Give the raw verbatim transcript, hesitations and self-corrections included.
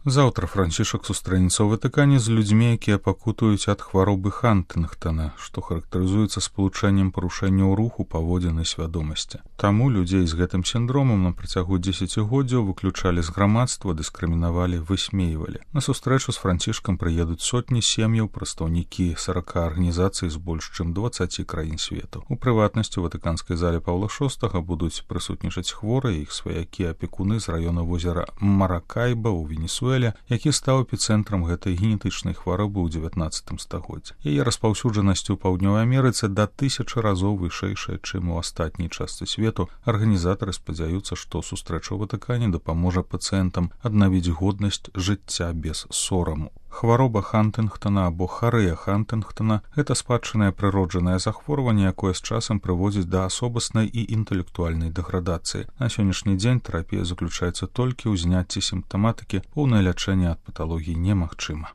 Заўтра Францішак сустрэнецца ў Ватыкане з людзьмі, якія пакутуюць ад хваробы Хантынгтана, што характарызуецца спалучэннем парушэнняў руху, паводзін і свядомасці. Таму людзей з гэтым сіндромам на працягу дзесяцігоддзяў выключалі з грамадства, дыскрымінавалі, высмейвалі. На сустрэчу з Францішкам прыедуць сотні сем'яў, прадстаўнікі сарака арганізацый з больш чым дваццаці краін свету. У прыватнасці у ватыканскай зале Паўла шостага будуць прысутнічаць хворыя, іх сваякі, апекуны з раёна возера Маракайба ў Венесуэле, які стаў эпіцэнтрам гэтай генетычнай хваробы ў дзевятнаццатым стагоддзі. Яе распаўсюджанасць у Паўднёвай Амерыцы да тысячы разоў вышэйшая, чым у астатняй частцы свету. Арганізатары спадзяюцца, што сустрэча ў Ватыкане дапаможа пацыентам аднавіць годнасць жыцця без сораму. Хвароба Хантынгтана або харэя Хантынгтана – гэта спадчынае прыроджанае захворванне, якое з часам прыводзіць да асобаснай і інтэлектуальнай дэградацыі. На сённяшні дзень тэрапія заключаецца толькі ў зняцці сімптаматыкі, поўнае лячэнне ад паталогій немагчыма.